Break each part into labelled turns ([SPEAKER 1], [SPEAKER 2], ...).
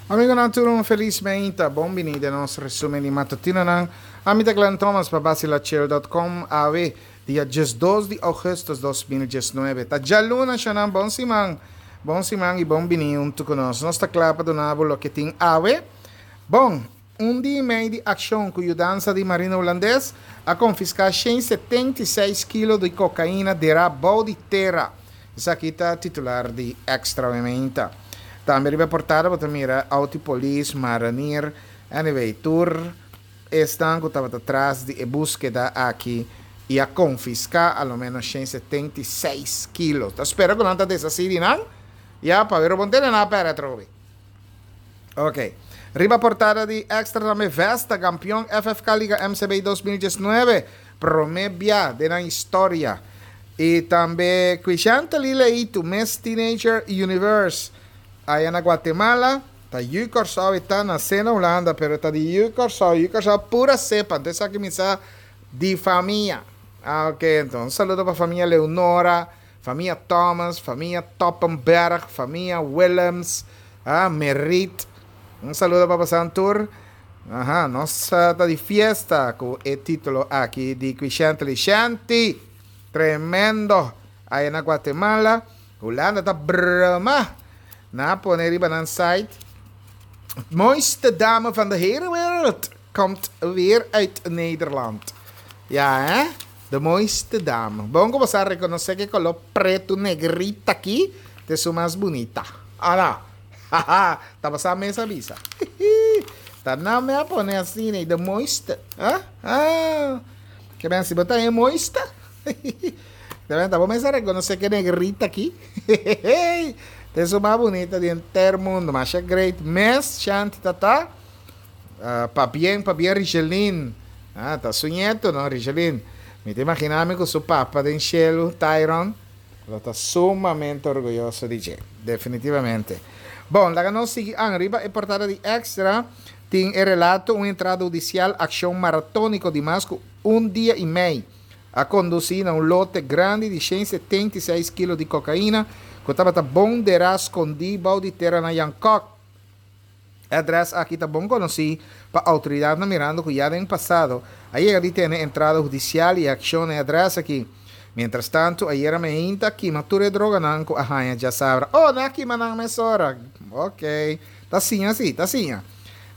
[SPEAKER 1] Amigonan tur un felis meinta, bon bini den nos resumen di matutinonan. Ami ta Glenn Thomas pa Basilachel.com. Awe, dia 12 di augustus 2019. Ta djaluna shonan, bon siman. Bon siman i bon bini huntu ku nos. Nos ta kla pa duna bo loke tin awe. Bon, un dia i mei di akshon ku yudansa di Marina Hulandes a konfiská 176 kilo di kokaina derá bou di tera. Esaki ta titular di Extra Meinta. Tambe riba e portada bo ta mira auto di polis, marinier, anyway, tur esnan ku tabata tras di e búskeda aki i a konfiská a lo ménos 176 kilo. Ta spera ku nan ta deshasí di nan, ya, pa wero bon tene nan a pèrdè atrobe. Ok. Riba portada di Extra tambe Vesta, kampion FFK Liga MCB 2019, promé bia den nan historia. I tambe Quishantali Leitu, Miss Teenager Universe, aya na Guatemala. Ta yu Kòrsou e ta nasé na Hulanda, pero ta di yu Kòrsou, yu Kòrsou pura sepa, anto esaki mi sa di famia. Ah, ok, anto un saludo pa famia Leonora, famia Thomas, famia Toppenberg, famia Willems, ah, Merit. Un saludo pa pasan tur. Aha, nos ta di fiesta ku e título aki di Quishantali. Shanti! Tremendo! Aya na Guatemala, Hulanda ta broma. Nan a pone riba nan site, Mooiste dame van de hele wereld komt weer uit Nederland. Ja, hè? De mooiste dame. Bon ku bo sa rekonosé ku e koló pretu negrita aki ta esun mas bunita. Ala! Haha! Ta bo sa mes a bisa. Ta nan me a pone asina ei, de mooiste. Ha? Ha! Ke men si bo ta e mooiste? Ta bo mes a rekonosé ku e negrita aki ta esun mas bunita di henter mundu. Masha great mes, Shanti ta ta. Pabien, pabien Richeline. Ah, ta su nieto, no, Richeline. Mi ta imagina mi cu su papa den cielo, Tyron, lo ta sumamente orguyoso di dje. Definitivamente. Bon, laga nos sigui an. Riba e portada di Extra tin e relato un entrada hudicial, accion maratonico di mas cu un dia y mei a conduci na un lote grandi di 176 kilo di cocaina cu tabata bon derá scondi bou di tera na Jan Kok. E adrès aki ta bon konosí pa outoridatnan mirando ku ya den pasado a yega di tene entrada hudisial i akshon na e adrès aki. Mientrastantu, ayera meinta a kima tur e droganan ku a haña djasabra. Oh, nan a kima nan mesora! Ok. Ta siña si, ta siña.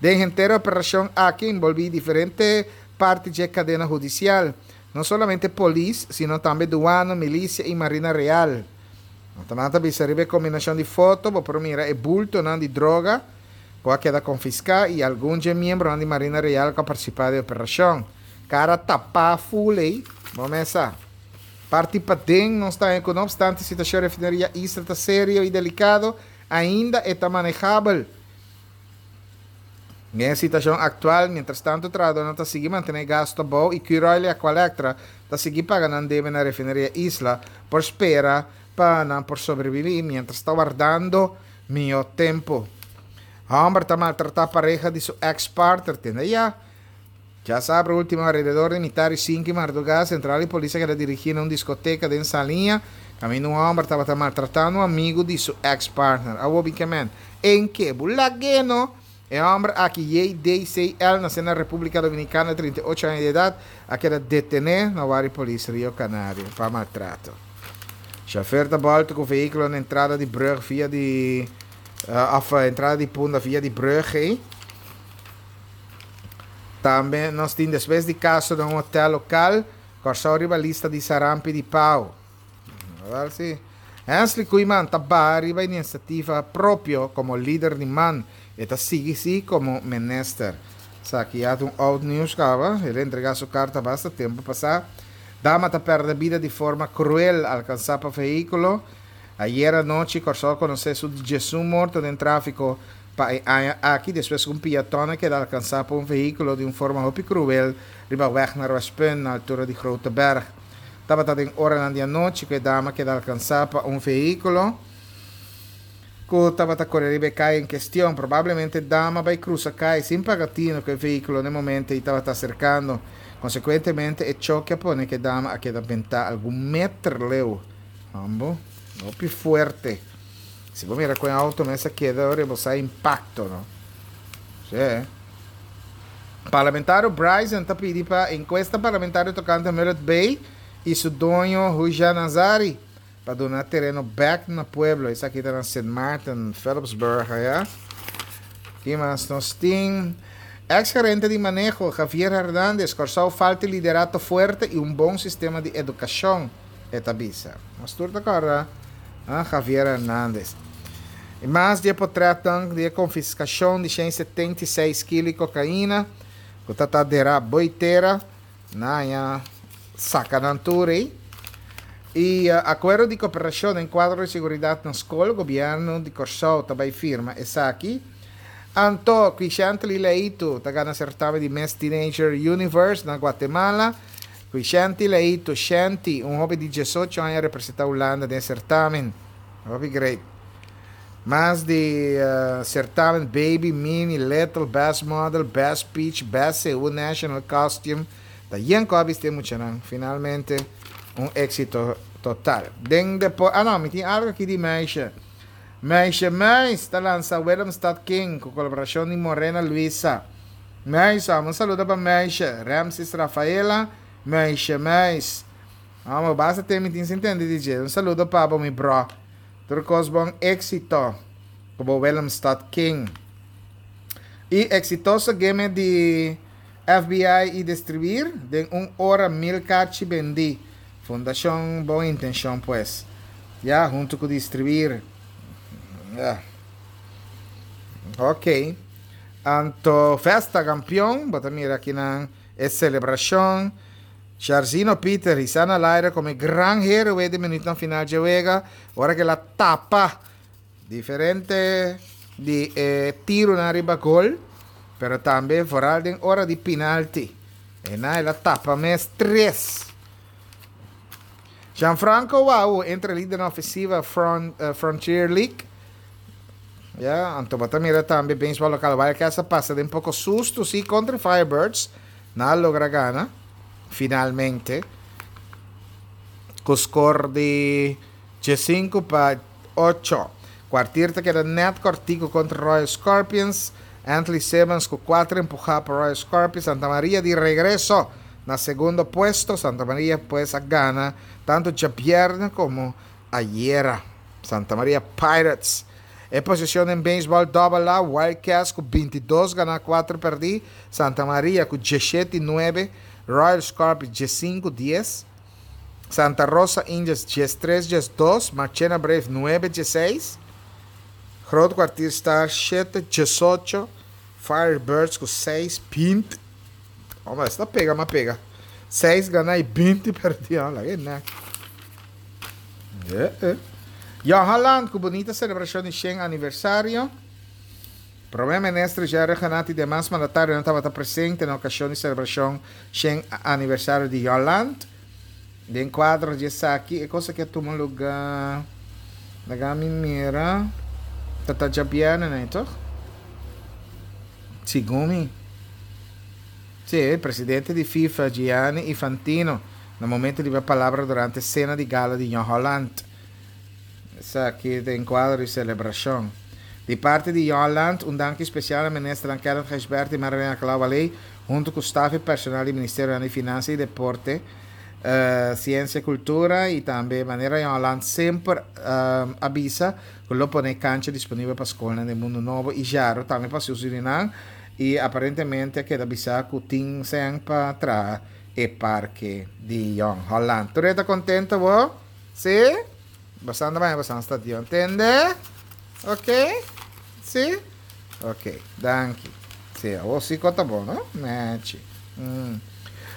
[SPEAKER 1] Den henter e operashon aki a enbolbí diferente parti dje kadena hudisial. No solamente polis, sino tambe duano, milisia i Marina Real. Nan ta bisa riba e kombinashon di foto bo por mira e bultonan di droga ku a keda konfiská i algun dje miembronan di Marina Real ku a partisipá den e operashon. Kara tapá ful ei, bo mes sa. Parti paden nos ta haña ku no opstante situashon refineria Isla ta serio i delikado, ainda e ta manejabel. Den e situashon aktual, mientrastantu trahadónan ta sigui mantené gastu abou i Curoil i Aqualectra ta sigui paga nan debe na Refineria Isla por spera pa nan por sobrebibí mientras ta wardando mihó tempu. Hòmber ta maltratá pareha di su èks-partner tende ya. Djasabra último alrededor di mitar di sinku i mardugá, sentral di polis a keda dirigí na un diskoteka den Saliña, kaminda un hòmber tabata maltratando un amigu di su èks-partner. Awor bin ke men? En ke bo lag'é no? E hòmber aki, JDCL, nasé na Repúblika Dominikana, 38 aña di edat, a keda detené na wari polis Rio Canario pa maltrato. Shofèr ta bòltu ku vehíkulo na entrada di brùg via di òf entrada di Punda via di brùg ei. Tambe nos tin despues di kaso den un hotel lokal, Kòrsou riba lista di sarampi di pau. Awel si. Hensley Koeiman ta baha riba inisiativa propio komo lider di man. E ta sigui si komo minister. Esaki ya ta un oud nieuws kaba. El a entrega su karta basta tempu pasá. Dama ta pèrdè bida di forma kruel alkansá pa vehíkulo. Ayera anochi Kòrsou a konosé su diesun morto den tráfiko Pa e aña aki, despues ku un piaton a keda alkansá pa un vehíkulo di un forma hopi kruel riba wèg na Rwèspunt na altura di Grote Berg. Tabata den oranan di anochi ku e dama a keda alkansá pa un vehíkulo ku tabata kore riba e kaya en kestion. Probablemente e dama bai krusa kaya sin paga tino ku e vehíkulo na e momento ei tabata aserkando. Konsekuentemente e choke a pone ku e dama a keda bentá algun meter leu. Hombo, hopi fuerte. Si bo mira ku e auto mes a keda ora bo sa impacto no. Sí. Parlamentario Bryson ta pidi pa encuesta parlamentario tocante Mullet Bay y su doño Hujan Nazari pa duna tereno bek na pueblo. Esaki ta na Sint Maarten, Philipsburg aya. Ki mas nos tin? Ex gerente di maneho Javier Hernandez, Kòrsou falta liderato fuerte y un bon sistema di educacion, e ta bisa. Nos tur ta kòrda Javier Hernandez. Y mas di e potretnan di e confiscacion di 176 kilo di cocaina cu ta ta dera boy tera. Nan haña saca nan tur ey. Y acuerdo di cooperacion den cuadro di seguridad na scol, gobierno di Corsou ta bay firma esaki. Anto, Quishantly Leitu ta gana certamen di Miss Teenager Universe na Guatemala. Quishanty Leitu, Shanty, un hoben di diesocho aña a representa Hulanda den certamen. Hopi great. Mas di certamen Baby, Mini, Little, Best Model, Best Speech, Best Seú National Costume ta yen cu a bisti e muchanan. Finalmente un exito total. Den depo ah no, mi tin algo aki di meisje. Meisje Muis ta lansa Willemstad King cu colaboracion di Morena Luisa. Muis, amo un saludo pa meisje. Ramses Rafaela, Meisje Muis. Amo, basta te mi tin sin tende di dje. Un saludo pa bo mi bro. Tur kos bon éksito ku bo Willemstad King. I eksitoso game di FBI i distribuir den un ora mil karchi bendí. Fundashon Bon Intenshon pues. Ya huntu ku distribuir. Ya. Ok. Anto festa kampion bo ta mira akinan e selebrashon. Sjarzino Pieter hisa na laire como e gran heroe di minuutnan final dje wega ora cu el a tapa diferente di e tironan riba gol, pero tambe vooral den ora di pinalti. Eynan el a tapa mes tres. Gianfranco Wau entre lidernan ofensiva Frontier League. Ya, anto bo ta mira tambe Baseball Local Wildcats a pasa den poco susto si contra Firebirds. Nan a logra gana finalmente ku skor di diesinku pa ocho. Kwartier ta keda nèt kòrtiku kontra Royal Scorpions. Anthony Simmons ku kuater empuhá pa Royal Scorpions. Santa Maria di regreso na segundo puesto. Santa Maria pues a gana tantu djabièrnè komo ayera. Santa Maria Pirates. E posicion den beisbol Double A, Wild Cats cu 22 gana 4 perdi, Santa Maria cu 17 nuebe, Royal Scorpions 15 dies, Santa Rosa Indians 13 12, Marchena Braves 9 16, Groot Kwartier Stars 7 18, Firebirds cu 6 20, Hombre, esta pega ma pega. 6 gana y 20 perdi, laga e nek. Jong Holland ku bunita selebrashon di shen aniversario. Prome Minister Jerry Rhuggenaath i demas mandatarionan tabata presente na okashon di selebrashon shen aniversario di Jong Holland. Den kuadro di esaki e kos aki a tuma luga laga mi mira ta ta djabièrnè nei toch? Segun mi. Sí, presidente di FIFA Gianni Infantino na momento di ba palabra durante cena di gala di Jong Holland. Esaki den cuadro di celebracion. Di parti di Jong Holland, un danki special na ministernan Kenneth Gijsbertha y Marilyn Alcalá-Wallé, hunto cu staf y personal di Ministerionan di Finansa y Deporte, Ciencia y Cultura y tambe manera Jong Holland semper a bisa cu lo pone cancha disponibel pa scolnan den Mundo Nobo y Jaro tambe pa su Surinam y aparentemente a keda bisa cu tin cen pa traha e parke di Jong Holland. Tur e ta contento bo? Si? Bosan ta baña bosan stadion. Tende? Ok? Si? Ok, danki. Si, awor si cu ta bon, no? Nechi. Mm.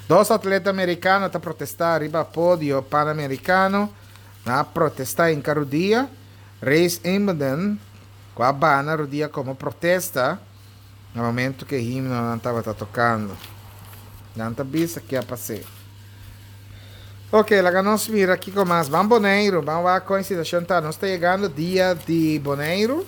[SPEAKER 1] Dos atleta americano ta protesta riba podio Panamericano. Nan a protesta inca rudia. Reis Inboden, cu a bana rudia como protesta na momento cu e himnonan tabata tocando. Nan ta bisa ke a pas'é. Ok, laga nos mira kico mas. Ban Boneiru, ban wak con e situacion ta. Nos ta yegando dia di Boneiru.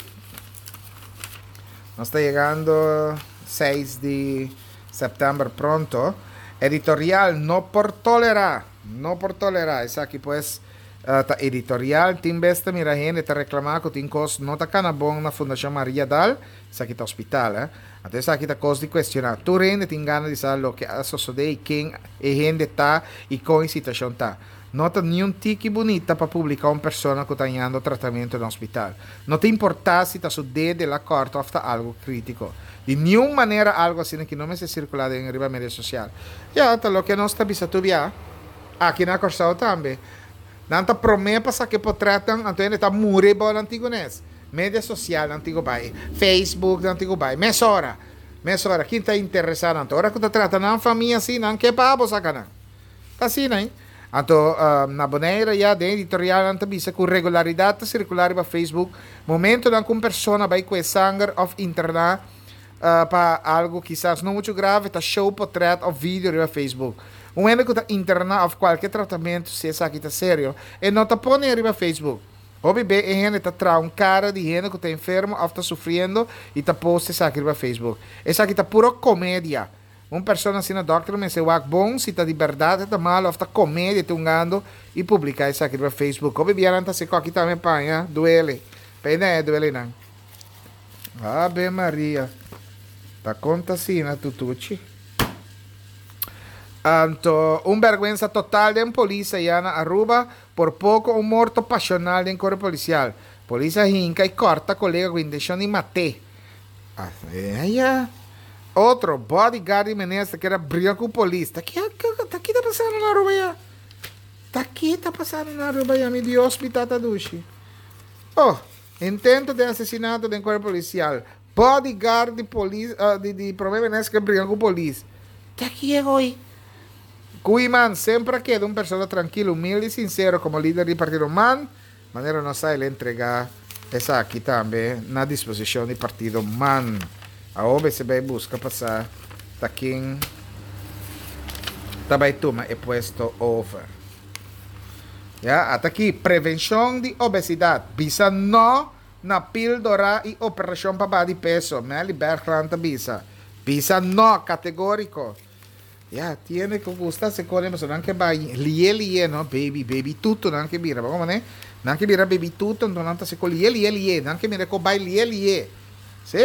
[SPEAKER 1] Nos ta yegando seis di september pronto. Editorial no por tolera, no por tolera. Esaki pues. Ta editorial, Tin bes ta mira hende ta reclama cu tin cos no ta cana bon na Fundacion Maria Dal, esaki ta hospital eh. Anto esaki ta cos di cuestiona. Tur hende tin gana di sa loke a sosode y ken e hende ta y con e situacion ta. No ta niun tiki bunita pa publica un persona cu ta hañando tratamento na hospital. No ta importa si ta su dede la corta of ta algo critico. Di niun manera algo asina ki no mester circula den riba media social. Ya, ta loke nos ta bisa tur bia. Aki na Kòrsou tambe. Nan ta promé pa saka e potrètnan, anto hende ta muri bou nan tin ku nes. Media sosial nan tin ku bai, Facebook nan tin ku bai. Mesora, mesora, kin ta interesá nan? Ora ku ta trata nan famia así, nan ke pa abo saka nan. Ta asina, hein? Anto, na Bonaire ya den editorial nan ta bisa ku regularidat ta sirkulá riba Facebook momentonan ku un persona bai kue sanger òf interná pa algu kisas no muchu grave ta show potrèt òf video riba Facebook. Un hende ku ta interná òf kualke tratamentu si esaki ta serio, e no ta pone riba Facebook. Hopi be e hende ta traha un kara di hende ku ta enfermo òf ta sufriendo i ta post esaki riba Facebook. Esaki ta puro komedia. Un persona asina dòkter mester wak bon si ta di bèrdat e ta malu òf ta komedia e ta hungando i publiká esaki riba Facebook. Hopi bia nan ta hasi kòki tambe paña duele. P'e e duele nan. Ave Maria. Ta konta asina tutuchi. Anto un bergwensa total den polis aya na Aruba, por poco un morto pasional den cuerpo policial. Polis a hinca y corta colega cu intencion di mat'e. Aya. Otro bodyguard di minister kier a briga cu polis. Ta ki ta ki ta pasando na Aruba ya? Ta ki ta pasando na Aruba ya mi Dios mi tata dushi. Oh. Intento di asesinato den cuerpo policial. Bodyguard di polis di di prome minister ke bringa ku polis. Ta kier hoy? Koeiman semper a keda un persona trankil, humilde y sincero como lider di partido man. Manera nos sa el a entrega esaki tambe na disposicion di partido man. Awor mester bay busca pa sa ta ken ta bay tuma e puesto over. Ya, ata aki, prevencion di obesidad. Bisa no na pildora y operacion pa baha di peso, Melly Bergland ta bisa. Bisa no, categorico. Ya, tiene cu gusta se cone pasobra nan ke bai lie lie no, baby, baby tuto nan ke bira, bo como ne? Nan ke bira baby tuto, enton nan ta se co lie lie lie, nan ke mira co bai lie lie. Sí.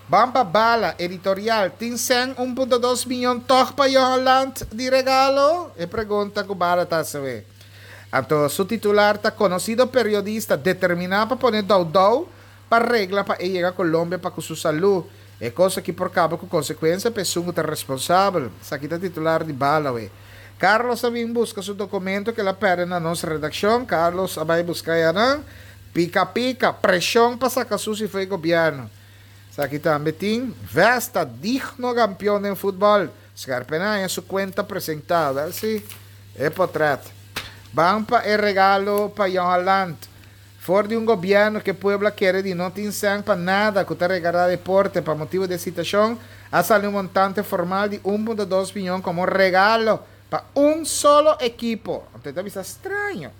[SPEAKER 1] Ban pa bala, editorial, Tin sèn un punto dos miyon tòg pa Johan Land di regalo? E pregunta ku bala ta hasiwé. Anto su titular ta konosido periodista determiná pa pone dou dou pa regla pa e yega Colombia pa ku su salú. E kos aki por kaba ku konsekuensia pa esun ku ta responsabel. Esaki ta titular di bala we. Carlos a bin buska su dokumento ku el a pèrdè na nos redakshon. Carlos a bai buska yanan. Pika pika, preshon pa saka susi fo'i gobièrnu. Esaki tambe tin Vesta, digno kampion den futbòl. Scherpen a haña su kuenta presentá. Wèl si, e potrèt. Ban pa e regalo pa Johan Land. For di un gobièrnu ku e pueblo a kere di no tin sèn pa nada ku ta regará deporte pa motibu di e situashon, a sali un montante formal di un punto dos miyon komo regalo pa un solo ekipo. Anto e ta bisa straño.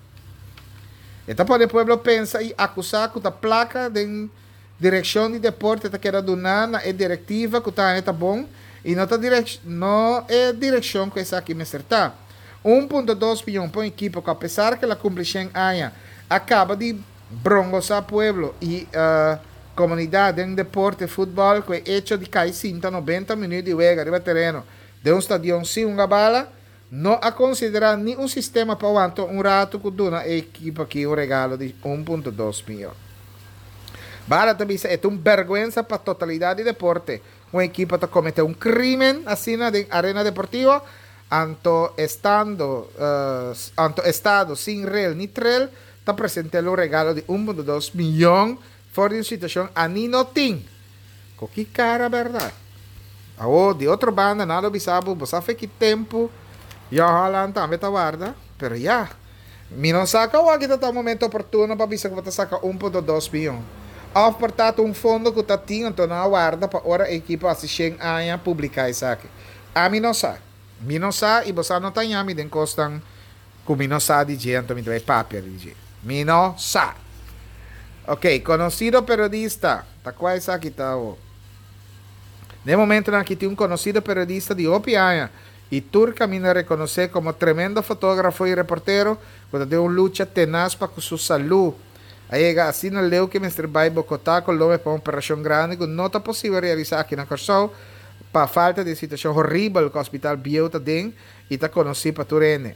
[SPEAKER 1] E ta pone pueblo pensa i akusá ku ta plaka den direkshon di deporte ta keda duná na e direktiva ku ta haña ta bon i no ta no e direkshon ku esaki mester ta. Un punto dos miyon pa un ekipo ku apesar ku el a kumpli shen aña a kaba di brongosá pueblo i komunidat den deporte futbòl ku e echo di kai sinta nobenta minüt di wega riba tereno den un stadion sin hunga bala No a konsiderá ni un sistema pa wanta un ratu ku duna e ekipo aki un regalo di un punto dos miyon. Bala ta bisa e ta un bèrgwensa pa totalidat di deporte ku un ekipo ta kometé un krímen asina den arena deportivo, anto estando anto estado sin rel ni trel ta present'el un regalo di un punto dos miyon for di un situashon ani no tin. Ku ki kara bèrdat? Awor, di otro banda, nan lo bisa bo, bo sa fe ki tempu Jong Holland tambe ta warda? Pero ya, mi no sa ku awor aki ta ta un momento oportuno pa bisa ku bo ta saka un punto dos miyon. Òf por ta ta un fondo ku ta tin, anto nan a warda pa ora e ekipo hasi shen aña publiká esaki. Ami no sa. Mi no sa i bo sa no ta ñami den kosnan ku mi no sa di dje anto mi ta bai papia di dje. Mi no sa. Ok, konosido periodista, ta kua esaki ta awo? Den e momentonan aki tin un konosido periodista di hopi aña. I tur kaminda rekonosé komo tremendo fotografo i reportero ku ta den un lucha tenas pa ku su salú. A yega asina leu ku e mester bai Bogotá, Colombia pa un operashon grandi ku no ta posibel realisá aki na Kòrsou pa falta di e situashon horibel ku hospital bieu ta den i ta konosí pa tur hende.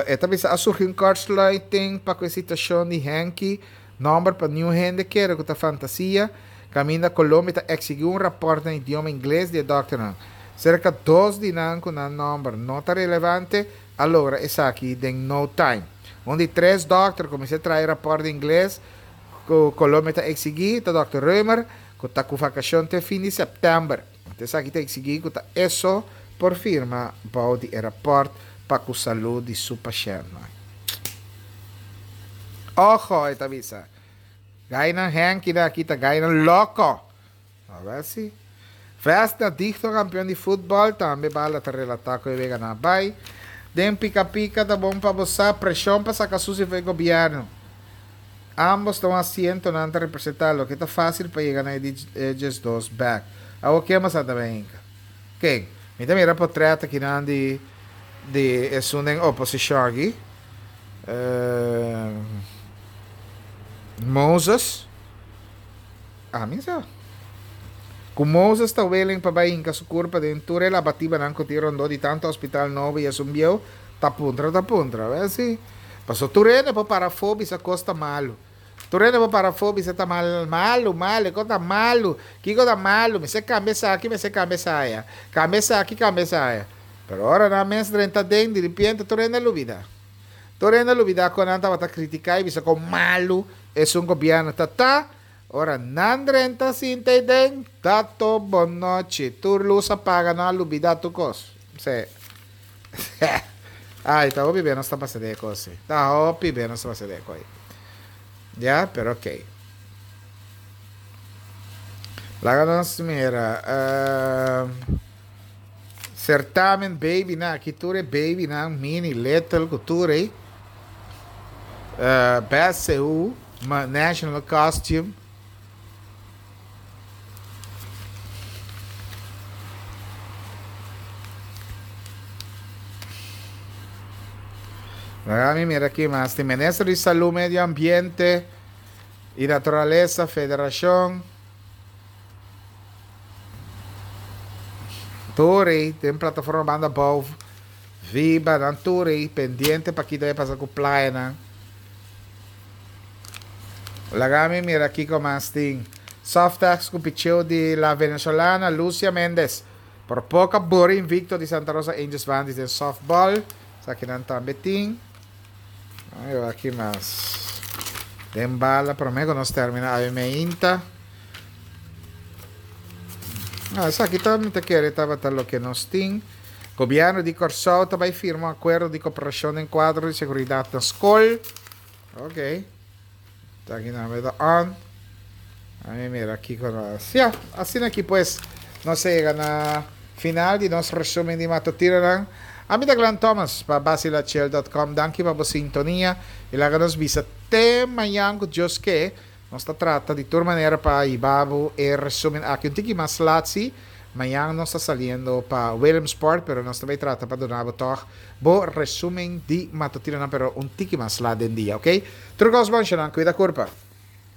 [SPEAKER 1] E ta bisa a surgi un kortsluiting pa ku e situashon di Henky, nòmber pa niun hende kere ku ta fantasia, kaminda Colombia ta eksigí un rapòrt na idioma ingles di e dòkternan. Serka dos di nan ku nan nòmber no ta relevante a logra esaki den no time. Un di tres dòkter ku mester traha e rapòrt di ingles ku Colombia ta eksigí ta dòkter Römer ku ta ku vakashon te fin di sèptèmber. Anto esaki ta eksigí ku ta eso por firma bou di e rapòrt pa ku salú di su pashèntnan. Ojo, e ta bisa, gainan hènkinan aki ta gainan loko! Awor si. Vesna digno kampion di futbòl, tambe bala ta relatá ku e wega na bai. Den pika pika ta bon pa bo sa, preshon pa saka susi for e gobièrnu. Ambos ta un asiento nan ta representá loke ta fásil pa yega na e di 12 bèk. Awor ken bo sa ta ben hinka? Ken? Mi ta mira potrèt akinan di di esun den oposishon aki. Moses. Ami sa. Ku Moses ta willing pa bai hinka su kurpa den tur e labatibanan ku tin rondó di tantu hospital nobo i esun bieu, ta puntra ta puntra. Wèl si. Paso tur hende por para afó bisa kos ta malu. Tur hende por para afó bisa ta mal malu, malu, e kos ta malu. Kiko ta malu? Mester kambia esaki, mester kambia esaya. Kambia esaki, kambia esaya. Pero ora nan mes drenta aden, diripiente tur hende a lubida. Tur hende a lubida kon nan tabata kritiká i bisa kon malu esun gobièrnu ta ta. Ora nan drenta sinta ei den, ta to bonochi. Tur lus a paga, nan a lubida tur kos. Se. Ai, ta hopi be nos ta pasa den e kos ei. Ta hopi be nos ta pasa den e kos ei. Ya, pero ok. Laga nos mira. Certamen babynan, aki tur e babynan, mini, little, ku tur ei. Best Seú, National Costume. Laga mi mira aki mas. Tin Minister di Salú, Medio Ambiente y Naturalesa, Federacion. Tur ei den plataforma banda bou Viba nan tur ei pendiente pa kita e pasa ku playanan. Laga mi mira kiko mas tin. Softex ku picheo di la venezolana Lucia Mendez. Por poko a bori invicto di Santa Rosa Angels Bandits den softball. Esakinan tambe tin. Ay, aki mas. Den bala prome ku nos termina awe meinta. Ah, esaki ta mi ta kere tabata loke nos tin. Gobierno di Kòrsou ta bai firma un akuerdo di koperashon den kuadro di seguridat na skol. Ok. Esaki tambe ta on. Ami mira kiko nos. Ya, asina aki pues nos a yega na final di nos resumen di matutinonan. Ami ta Glenn Thomas pa Basilachel dot com. Danki pa bo sintonia y laga nos bisa te mañan cu Dios ke. Nos ta trata di tur manera pa hiba bo e resumen aki un tiki mas lat si. Mañan nos ta saliendo pa Williamsport pero nos ta bay trata pa duna bo tog bo resumen di matutinonan pero un tiki mas lat den dia, ok? Tur cos bon, Shanan. Cuida curpa.